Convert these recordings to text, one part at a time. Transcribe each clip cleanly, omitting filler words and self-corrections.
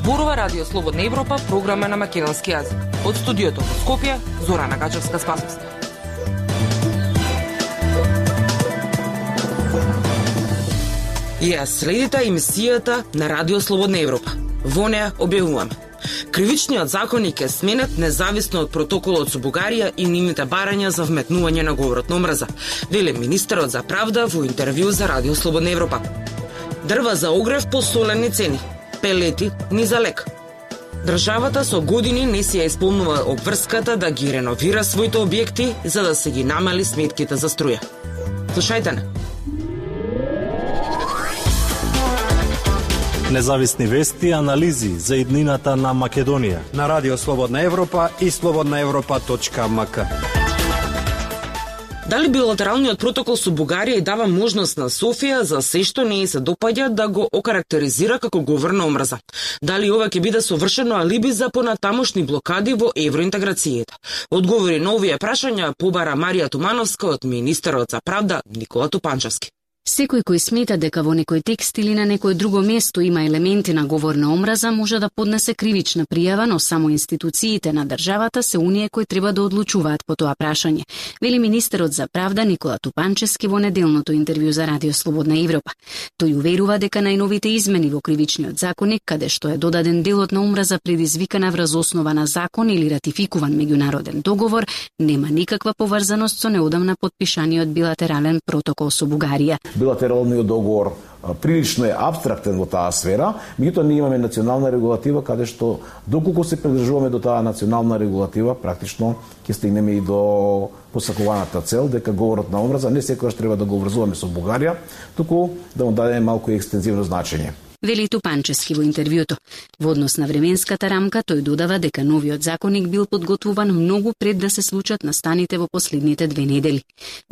Зборува Радио Слободна Европа, програма на македонски јазик. Од студиото во Скопје, Зорана Гачевска-Спасовска. Ја следите емисијата на Радио Слободна Европа. Во неа објавуваме: кривичниот законник е сменет независно од протоколот со Бугарија и нивните барања за вметнување на говорот на омраза, вели министерот за правда во интервју за Радио Слободна Европа. Дрва за огрев по солени цени, пелети ни за лек. Државата со години не си ја исполнува обврската да ги реновира своите објекти за да се ги намали сметките за струја. Слушајте не. Независни вести и анализи за иднината на Македонија на Радио Слободна Европа и slobodnaevropa.mk. Дали билатералниот протокол со Бугарија и дава можност на Софија за се што не се допаѓа да го окарактеризира како говор на омраза? Дали ова ќе биде совршено алиби за понатамошни блокади во евроинтеграцијата? Одговори на овие прашања побара Марија Тумановска од министерот за правда Никола Тупанчевски. Секој кој смета дека во некој текст или на некое друго место има елементи на говор на омраза може да поднесе кривична пријава, но само институциите на државата се оние кои треба да одлучуваат по тоа прашање, вели министерот за правда Никола Тупанчевски во неделното интервју за Радио Слободна Европа. Тој уверува дека најновите измени во кривичниот законник, каде што е додаден делот на омраза предизвикана врз основа на закон или ратификуван меѓународен договор, нема никаква поврзаност со неодамна подпишаниот билатерален протокол со Бугарија. Билатералниот договор прилично е абстрактен во таа сфера, меѓутоа ние имаме национална регулатива каде што доколку се придржуваме до таа национална регулатива, практично ќе стигнеме и до посакуваната цел дека говорот на омраза не секогаш треба да го врзуваме со Бугарија, туку да му дадеме малку екстензивно значење. Вели Тупанчевски во интервјуто. Во однос на временската рамка, тој додава дека новиот законник бил подготвуван многу пред да се случат настаните во последните 2 недели.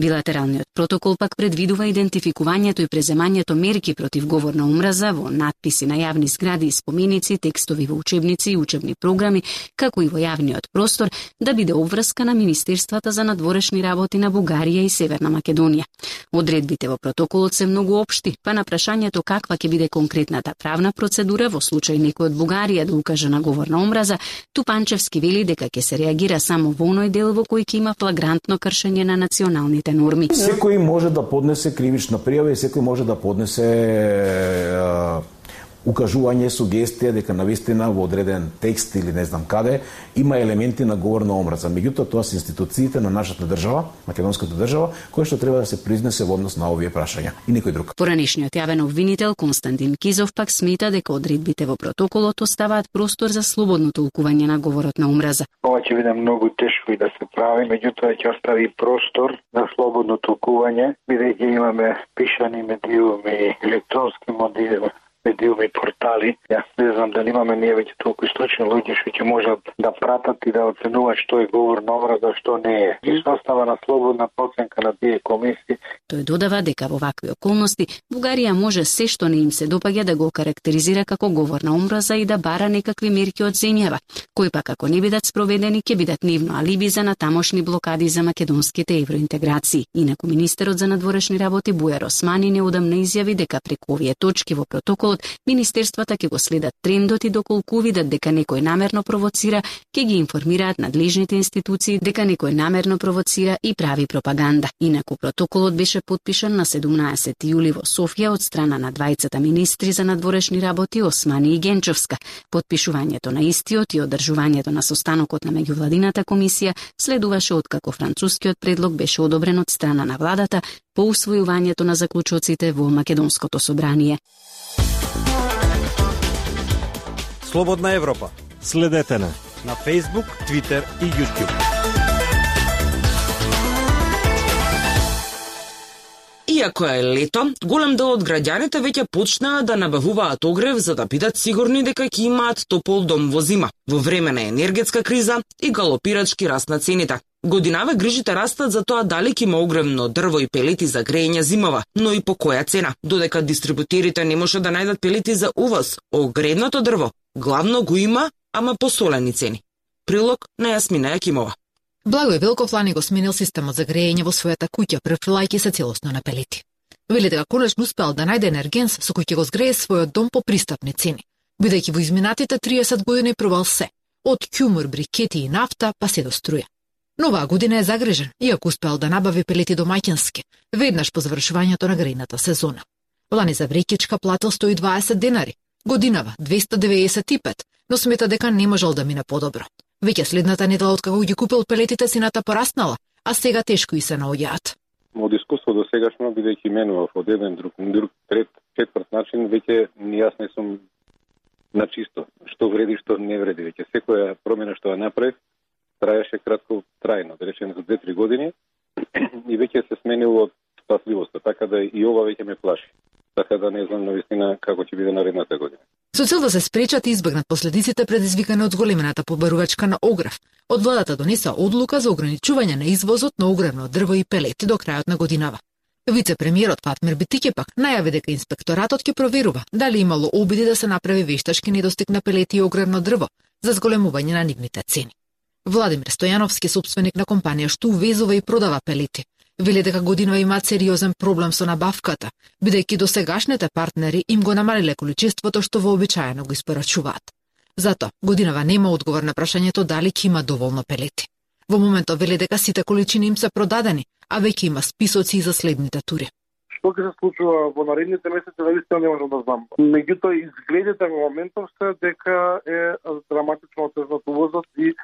Билатералниот протокол пак предвидува идентификувањето и преземањето мерки против говор на омраза во надписи на јавни згради и споменици, текстови во учебници и учебни програми, како и во јавниот простор, да биде обврска на Министерствата за надворешни работи на Бугарија и Северна Македонија. Одредбите во протоколот се многу општи, па на прашањето каква ќе биде конкретна правна процедура во случај некој од Бугарија да укаже на говор на омраза, Тупанчевски вели дека ќе се реагира само во оној дел во кој ќе има флагрантно кршење на националните норми. Секој може да поднесе кривична пријава и секој може да поднесе укажување, сугестија дека навистина во одреден текст или не знам каде има елементи на говор на омраза. Меѓутоа тоа се институциите на нашата држава, македонската држава, кои што треба да се произнесе во однос на овие прашања и никој друг. Поранешниот јавен обвинител Константин Кизов пак смета дека одредбите во протоколот оставаат простор за слободно толкување на говорот на омраза. Ова ќе биде многу тешко и да се прави, меѓутоа ќе остави простор за слободно толкување, бидејќи имаме пишани медиуми, електронски медиуми и портали. Јас не знам дали имаме ние веќе толку источни луѓе што ќе можат да пратат и да оценуваат што е говор на омраза, што не е. И што остава на слободна проценка на тие комисии. Тој додава дека во вакви околности Бугарија може се што не им се допаѓа да го карактеризира како говор на омраза и да бара некакви мерки од земјава, кои пак ако не бидат спроведени ќе бидат нивно алиби за натамошни блокади за македонските евроинтеграции. Инаку министерот за надворешни работи Бујар Османи неодамна изјави дека преку овие точки во протоколот министерствата ќе го следат трендот и доколку видат дека некој намерно провоцира, ќе ги информираат надлежните институции дека некој намерно провоцира и прави пропаганда. Инаку протоколот беше подпишан на 17 јули во Софија од страна на двајцата министри за надворешни работи Османи и Генчовска. Подпишувањето на истиот и одржувањето на состанокот на меѓувладината комисија следуваше откако францускиот предлог беше одобрен од страна на владата по усвојувањето на заклучоците во Македонското собрание. Слободна Европа. Следете на Facebook, Twitter и YouTube. Иако е лето, голем дел од граѓаните веќе почнаа да набавуваат огрев за да бидат сигурни дека ќе имаат топол дом во зима, во време на енергетска криза и галопирачки раст на цените. Годинаве грижите растат за тоа дали ќе има огревно дрво и пелети за грејење зимова, но и по која цена. Додека дистрибутерите не може да најдат пелети за увоз, огревното дрво главно го има, ама по солени цени. Прилог на Јасмина Јакимова. Благој Велков лани го сменил системот за грејење во својата куќа, префрлајќи се целосно на пелети. Вели дека конечно успеал да најде енергенс со кој ќе го згрее својот дом по пристапни цени. бидејќи во изминатите 30 години пробал се, од ќумур, брикети и нафта, па се до струја. Но оваа година е загрижен, иако успеал да набави пелети домаќински, веднаш по завршувањето на грејната сезона. Лани за брекичка платил 120 денари, годинава 295, но смета дека не можел да мине подобро. Веќе следната недела откако ги купил пелетите, цената пораснала, а сега тешко и се наоѓаат. Од искуство до сегашно, бидејќи менував од еден, друг, трет, четврт начин, веќе јас не сум на чисто. Што вреди, што не вреди. Веќе секоја промена што ја направив, траеше кратко трајно, да речем за 2-3 години, и веќе се сменило спасливоста, така да и ова веќе ме плаши. Така да не знам навистина како ќе биде наредната година. Со цел да се спречат и избегнат последиците предизвикани од зголемената побарувачка на огрев, од владата донеса одлука за ограничување на извозот на огревно дрво и пелети до крајот на годинава. Вице-премиерот Фатмир Битиќи пак најави дека инспекторатот ќе проверува дали имало обиди да се направи вештачки недостиг на пелети и огревно дрво за зголемување на нивните цени. Владимир Стојановски, собственик на компанија што увезува и продава пелети, вели дека годинава имаат сериозен проблем со набавката, бидејќи досегашните партнери им го намалиле количеството што вообичаено го испорачуваат. Зато годинава нема одговор на прашањето дали ќе има доволно пелети. Во моментот вели дека сите количини им се продадени, а веќе има списоци и за следните тури. Што ќе се случува во наредните месеци, навистина не можам да знам. Меѓутоа, изгледите во моментов се дека е драматично отежнат увозот и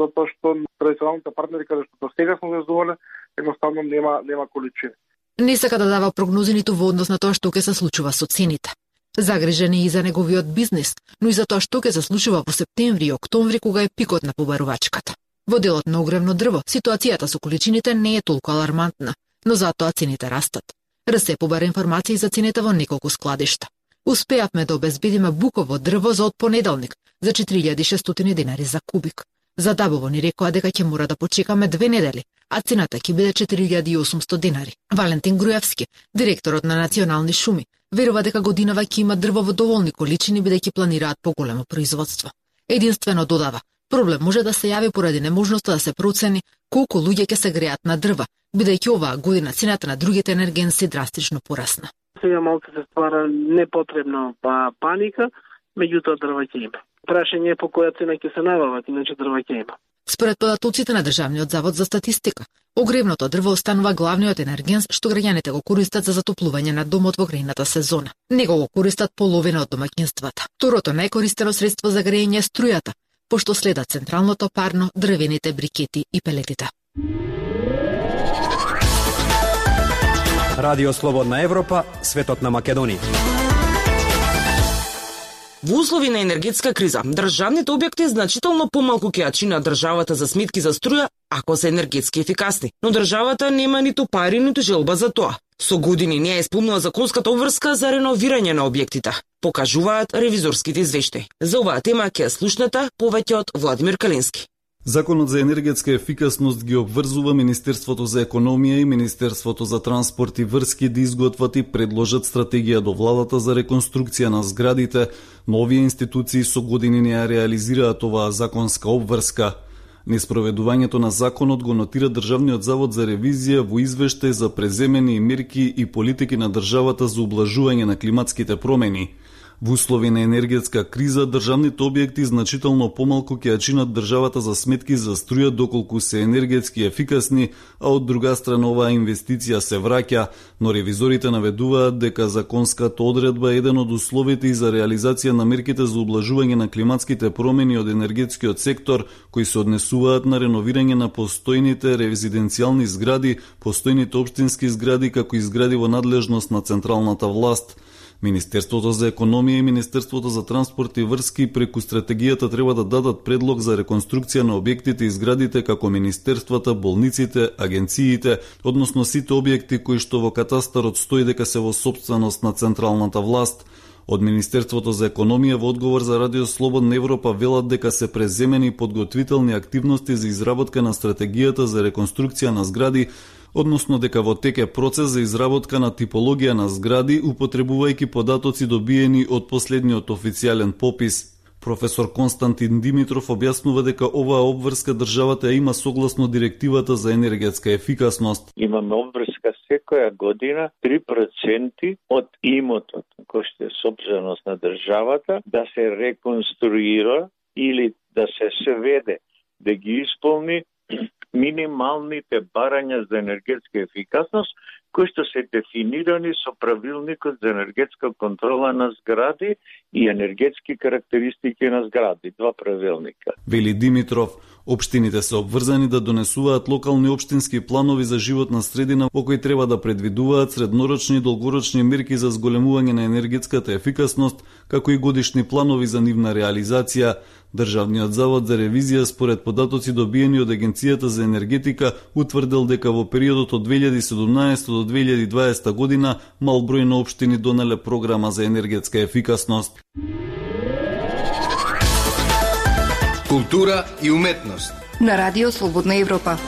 затоа што традиционалните партнери каде што сега сме везувале, едноставно нема количини. Не сака да дава прогнози ниту во однос на тоа што ќе се случува со цените. Загрижен е и за неговиот бизнис, но и за тоа што ќе се случува во септември и октомври кога е пикот на побарувачката. Во делот на огревно дрво, ситуацијата со количините не е толку алармантна, но затоа цените растат. РСЕ побара информации за цените во неколку складишта. Успеавме да обезбедиме буково дрво за од понеделник за 4600 денари за кубик. За Дабово ни рекоа дека ќе мора да почекаме 2 недели, а цената ќе биде 4800 денари. Валентин Груевски, директорот на Национални шуми, верува дека годинава ќе има дрво во доволни количини бидејќи планираат поголемо производство. Единствено додава, проблем може да се јави поради неможноста да се процени колку луѓе ќе се греат на дрва, бидејќи оваа година цената на другите енергенси драстично порасна. Сега малку се ствара непотребно паника, меѓутоа дрва ќе има. Прашање е по која цена ќе се набават, иначе дрва ќе има. Според податоците на Државниот завод за статистика, огревното дрво останува главниот енергенс што граѓаните го користат за затоплување на домот во грејната сезона. Него го користат половина од домаќинствата. Второто најкористено средство за грејење е струјата, пошто следат централното парно, дрвените брикети и пелетите. Радио Слободна Европа, светот на Македонија. Во услови на енергетска криза, државните објекти значително помалку ќе ја чинат државата за сметки за струја ако се енергетски ефикасни. Но државата нема ниту пари, ниту желба за тоа. Со години не ја исполнува законската обврска за реновирање на објектите, покажуваат ревизорските извештаи. За оваа тема ќе слушнете повеќе од Владимир Калински. Законот за енергетска ефикасност ги обврзува Министерството за економија и Министерството за транспорт и врски да изготват и предложат стратегија до владата за реконструкција на зградите, но овие институции со години не ја реализираат оваа законска обврска. Неспроведувањето на законот го нотира Државниот завод за ревизија во извештај за преземени мерки и политики на државата за ублажување на климатските промени. Во услови на енергетска криза, државните објекти значително помалку ќе ја чинат државата за сметки за струја доколку се енергетски ефикасни, а од друга страна оваа инвестиција се враќа, но ревизорите наведуваат дека законската одредба е еден од условите и за реализација на мерките за ублажување на климатските промени од енергетскиот сектор, кои се однесуваат на реновирање на постојните резиденцијални згради, постојните општински згради, како и згради во надлежност на централната власт. Министерството за економија и Министерството за транспорт и врски преку стратегијата треба да дадат предлог за реконструкција на објектите и зградите како министерствата, болниците, агенциите, односно сите објекти кои што во катастарот стои дека се во сопственост на централната власт. Од Министерството за економија во одговор за Радио Слободна Европа велат дека се преземени подготвителни активности за изработка на стратегијата за реконструкција на згради, односно дека во тек е процес за изработка на типологија на згради, употребувајќи податоци добиени од последниот официјален попис. Професор Константин Димитров објаснува дека оваа обврска државата ја има согласно директивата за енергетска ефикасност. Имаме обврска секоја година 3% од имотот кој што е сопственост на државата да се реконструира или да се сведе, да ги исполни минималните барања за енергетска ефикасност кои што се дефинирани со правилникот за енергетска контрола на згради и енергетски карактеристики на згради, 2 правилника. Вели Димитров, општините се обврзани да донесуваат локални општински планови за животна средина во кои треба да предвидуваат среднорочни и долгорочни мерки за зголемување на енергетската ефикасност, како и годишни планови за нивна реализација. Државниот завод за ревизија според податоци добиени од Агенцијата за енергетика утврдил дека во периодот од 2017 до 2020 година мал број на општини донеле програма за енергетска ефикасност. Култура и уметност на Радио Слободна Европа.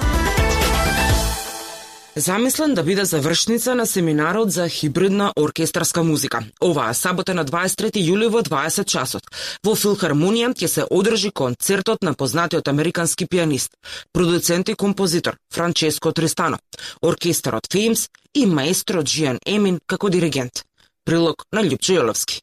Замислен да биде завршница на семинарот за хибридна оркестарска музика. Оваа сабота на 23 јули во 20 часот. Во Филхармонија ќе се одржи концертот на познатиот американски пианист, продуцент и композитор Франческо Тристано, оркестарот Феймс и маестро Джиан Емин како диригент. Прилог на Љупчо Јоловски.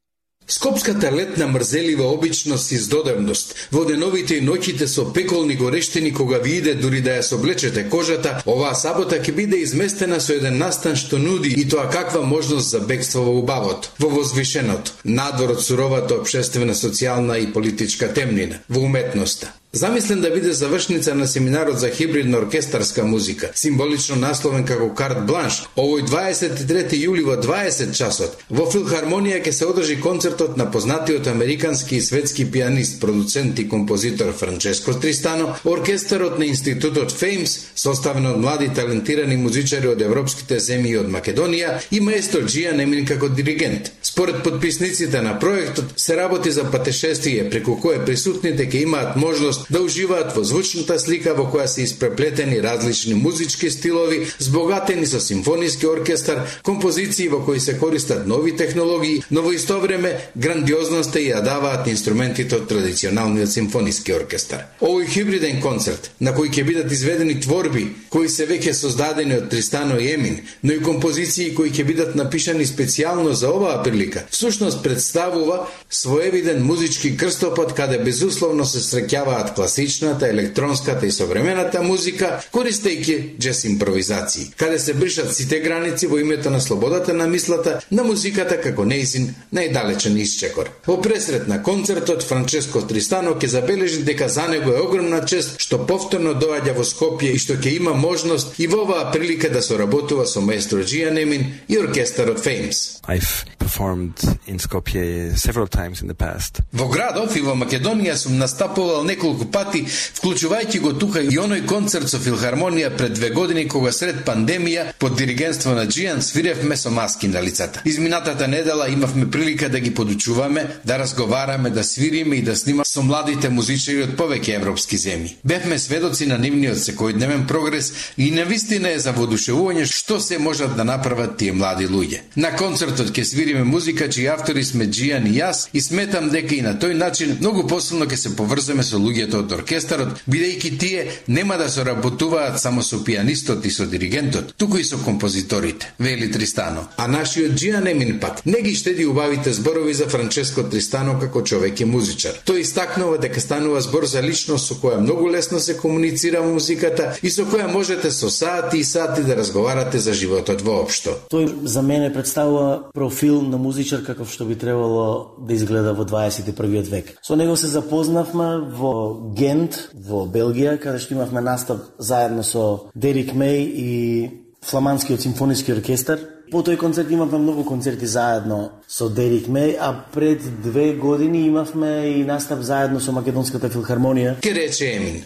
Скопската летна мрзелива обичност и здодевност, во деновите и ноќите со пеколни горештини кога ви иде дури да ја соблечете кожата, оваа сабота ќе биде изместена со еден настан што нуди и тоа каква можност за бегство во убавото, во возвишеното, надвор од суровата општествена, социјална и политичка темнина, во уметноста. Замислен да биде завршница на семинарот за хибридна оркестарска музика, символично насловен како карт бланш, овој 23 јули во 20 часот, во Филхармонија ќе се одржи концертот на познатиот американски и светски пианист, продуцент и композитор Франческо Тристано, оркестарот на институтот Феймс, составен од млади талентирани музичари од европските земји и од Македонија, и маестро Джиан Емин како диригент. Според подписниците на проектот, се работи за патешествие преку кое присутните ќе имаат можност да уживаат во звучната слика во која се испреплетени различни музички стилови, збогатени со симфониски оркестар, композиции во кои се користат нови технологии, но во исто време грандиозноста ја даваат инструментите од традиционалниот симфониски оркестар. Овој хибриден концерт, на кој ќе бидат изведени творби кои се веќе создадени од Тристано и Емин, но и композиции кои ќе бидат напишани специјално за оваа прилика, всушност представува своевиден музички крстопат каде безусловно се среќаваат класичната, електронската и современата музика, користејќи джез импровизации, каде се бришат сите граници во името на слободата на мислата, на музиката како нејзин најдалечен исчекор. Во пресрет на концертот, Франческо Тристано ќе забележи дека за него е огромна чест што повторно доаѓа во Скопје и што ќе има можност и во оваа прилика да соработува со маестро Джиан Емин и оркестарот Феймс. I've performed in Skopje several times in the past. Во градов и во Македонија сум настапувал неколку пати, вклучувајќи го тука и оној концерт со Филхармонија пред 2 години кога сред пандемија под диригентство на Джиан свиревме со маски на лицата. Изминатата недела имавме прилика да ги подучуваме, да разговараме, да свириме и да снимаме со младите музичари од повеќе европски земји. Бевме сведоци на нивниот секојдневен прогрес и навистина е за воодушевување што се можат да направат тие млади луѓе. На концертот ќе свириме музика чии автори сме Джиан и јас и сметам дека и на тој начин многу посилно ќе се поврземе со луѓето од оркестарот, бидејќи тие нема да соработуваат само со пианистот и со диригентот, туку и со композиторите, вели Тристано. А нашиот Джиан Емин пак не ги штеди убавите зборови за Франческо Тристано како човек и музичар. Тој истакнува дека станува збор за личност со која многу лесно се комуницира музиката и со која можете со сати и сати да разговарате за животот воопшто. Тој за мене представува профил на музичар каков што би требало да изгледа во 21 век. Со него се запознавме во Гент, во Белгија, каде што имавме настап заедно со Дерик Меј и Фламандскиот симфониски оркестар. По тој концерт имавме многу концерти заедно со Дерик Меј, а пред 2 години имавме и настап заедно со Македонската филхармонија. Ке рече Емин.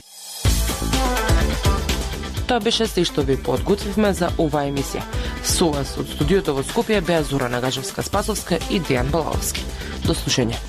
Тоа беше се што ви подготвивме за оваа емисија. Со вас од студиото во Скопје беа Зора Нагажевска-Спасовска и Дејан Балаовски. До слушање.